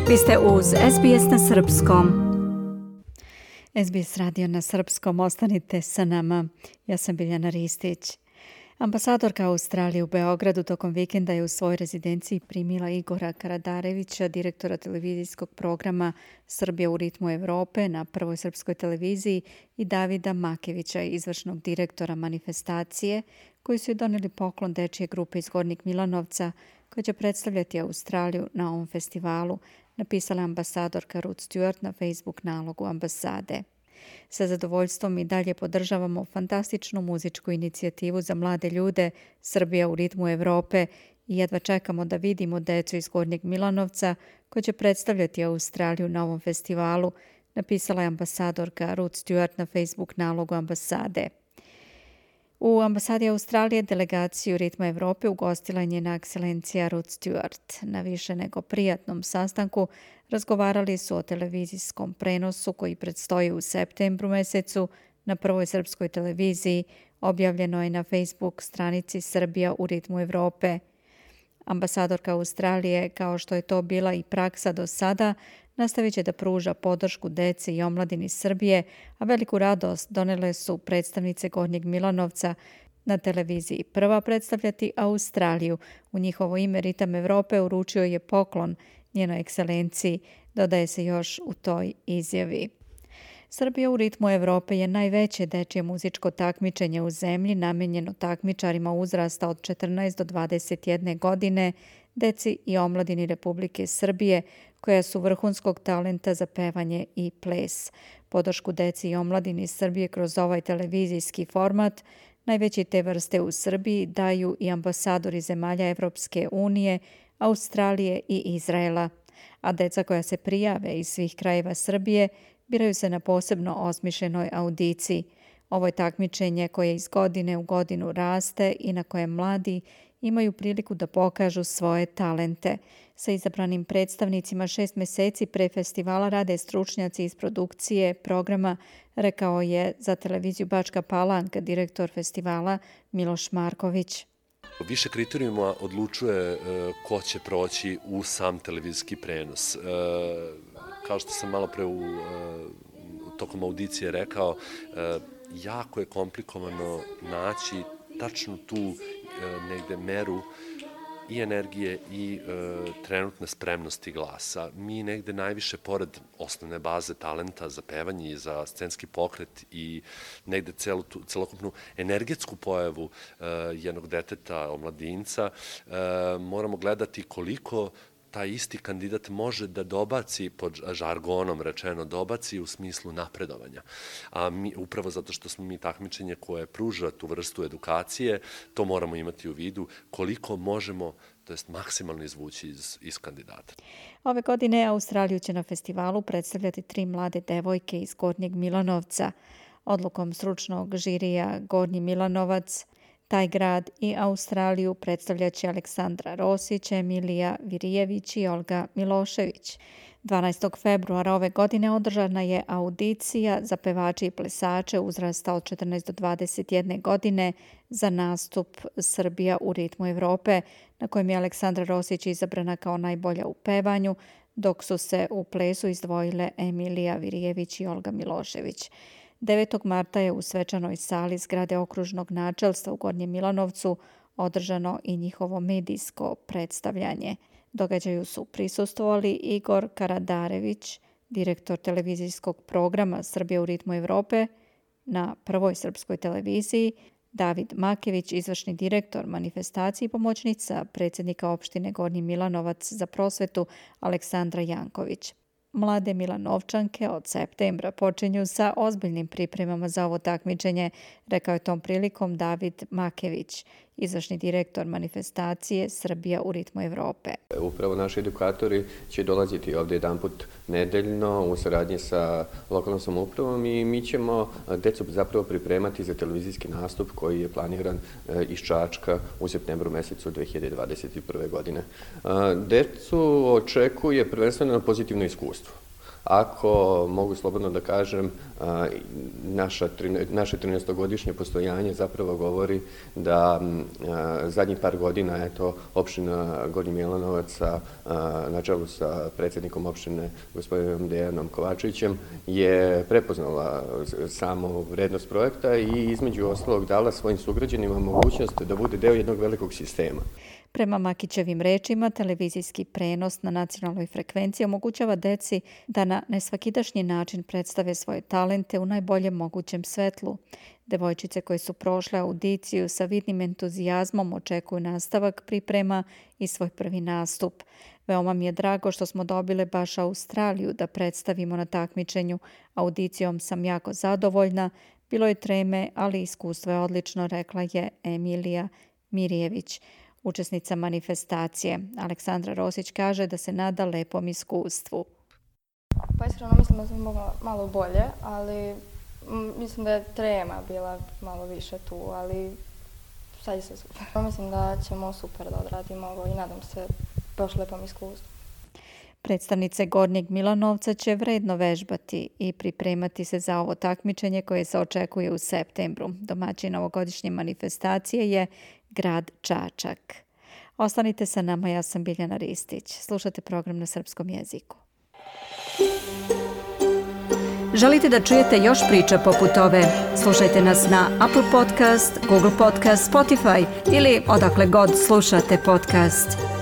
Vi ste uz SBS na Srpskom. SBS radio na Srpskom, ostanite sa nama. Ja sam Biljana Ristić. Ambasadorka Australije u Beogradu tokom vikenda je u svojoj rezidenciji primila Igora Karadarevića, direktora televizijskog programa Srbija u ritmu Evrope na Prvoj srpskoj televiziji, i Davida Makevića, izvršnog direktora manifestacije, koji su joj donijeli poklon dečije grupe iz Gornjeg Milanovca, koja će predstavljati Australiju na ovom festivalu, napisala ambasadorka Ruth Stewart na Facebook nalogu ambasade. Sa zadovoljstvom i dalje podržavamo fantastičnu muzičku inicijativu za mlade ljude Srbija u ritmu Evrope i jedva čekamo da vidimo decu iz Gornjeg Milanovca koji će predstavljati Australiju na ovom festivalu, napisala je ambasadorka Ruth Stewart na Facebook nalogu ambasade. U ambasadi Australije delegaciju Ritma Evrope ugostila je njena ekscelencija Ruth Stewart. Na više nego prijatnom sastanku razgovarali su o televizijskom prenosu koji predstoji u septembru mesecu na Prvoj srpskoj televiziji, objavljeno je na Facebook stranici Srbija u ritmu Evrope. Ambasadorka Australije, kao što je to bila i praksa do sada, nastavit će da pruža podršku deci i omladini Srbije, a veliku radost donele su predstavnice Gornjeg Milanovca na televiziji Prva predstavljati Australiju. U njihovo ime Ritam Evrope uručio je poklon njenoj ekscelenciji, dodaje se još u toj izjavi. Srbija u ritmu Evrope je najveće dečje muzičko takmičenje u zemlji namenjeno takmičarima uzrasta od 14 do 21 godine, deci i omladini Republike Srbije, koja su vrhunskog talenta za pevanje i ples. Podršku deci i omladini Srbije kroz ovaj televizijski format, najveći te vrste u Srbiji, daju i ambasadori zemalja Evropske unije, Australije i Izraela. A deca koja se prijave iz svih krajeva Srbije biraju se na posebno osmišljenoj audiciji. Ovo je takmičenje koje iz godine u godinu raste i na kojem mladi imaju priliku da pokažu svoje talente. Sa izabranim predstavnicima 6 meseci pre festivala rade stručnjaci iz produkcije programa, rekao je za televiziju Bačka Palanka direktor festivala Miloš Marković. Više kriterijuma odlučuje ko će proći u sam televizijski prenos. Kao što sam malo pre tokom audicije rekao, jako je komplikovano naći tačno tu negde meru i energije i trenutne spremnosti glasa. Mi negde najviše, pored osnovne baze talenta za pevanje i za scenski pokret i negde celokupnu energetsku pojavu jednog deteta, omladinca, moramo gledati koliko taj isti kandidat može da dobaci, pod žargonom rečeno, dobaci u smislu napredovanja. A mi, upravo zato što smo mi takmičenje koje pruža tu vrstu edukacije, to moramo imati u vidu koliko možemo, to jest maksimalno izvući iz kandidata. Ove godine Australiju će na festivalu predstavljati 3 mlade devojke iz Gornjeg Milanovca. Odlukom stručnog žirija Gornji Milanovac, taj grad i Australiju predstavljaće Aleksandra Rosić, Emilija Virijević i Olga Milošević. 12. februara ove godine održana je audicija za pevače i plesače uzrasta od 14 do 21 godine za nastup Srbija u ritmu Evrope, na kojem je Aleksandra Rosić izabrana kao najbolja u pevanju, dok su se u plesu izdvojile Emilija Virijević i Olga Milošević. 9. marta je u svečanoj sali zgrade okružnog načelstva u Gornjem Milanovcu održano i njihovo medijsko predstavljanje. Događaju su prisustvovali Igor Karadarević, direktor televizijskog programa Srbija u ritmu Evrope na Prvoj srpskoj televiziji, David Makević, izvršni direktor manifestacije i pomoćnica predsjednika opštine Gornji Milanovac za prosvetu Aleksandra Janković. Mlade Milanovčanke od septembra počinju sa ozbiljnim pripremama za ovo takmičenje, rekao je tom prilikom David Makević, izvršni direktor manifestacije Srbija u ritmu Evrope. Upravo naši edukatori će dolaziti ovdje jedanput nedeljno u saradnji sa lokalnom samoupravom i mi ćemo decu zapravo pripremati za televizijski nastup koji je planiran iz Čačka u septembru mesecu 2021. godine. Decu očekuje prvenstveno pozitivno iskustvo. ako mogu slobodno da kažem, naše 13-godišnje postojanje zapravo govori da zadnjih par godina, opština Gornji Milanovac na čelu sa predsjednikom opštine gospodinom Dejanom Kovačevićem je prepoznala samu vrednost projekta i između ostalog dala svojim sugrađanima mogućnost da bude deo jednog velikog sistema. Prema Makićevim rečima, televizijski prenos na nacionalnoj frekvenciji omogućava deci da na nesvakidašnji način predstave svoje talente u najboljem mogućem svetlu. Devojčice koje su prošle audiciju sa vidnim entuzijazmom očekuju nastavak priprema i svoj prvi nastup. Veoma mi je drago što smo dobile baš Australiju da predstavimo na takmičenju. Audicijom sam jako zadovoljna, bilo je treme, ali iskustvo je odlično, rekla je Emilija Mirjević. Učesnica manifestacije Aleksandra Rosić kaže da se nada lepom iskustvu. Pa iskreno mislim da sam mogla malo bolje, ali mislim da je trema bila malo više tu, ali sad je sve super. Mislim da ćemo super da odradimo ovo i nadam se baš lepom iskustvu. Predstavnice Gornjeg Milanovca će vredno vežbati i pripremati se za ovo takmičenje koje se očekuje u septembru. Domaćin ovogodišnje manifestacije je grad Čačak. Ostanite sa nama, ja sam Biljana Ristić. Slušate program na srpskom jeziku. Želite da čujete još priča poput ove? Slušajte nas na Apple Podcast, Google Podcast, Spotify ili odakle god slušate podcast.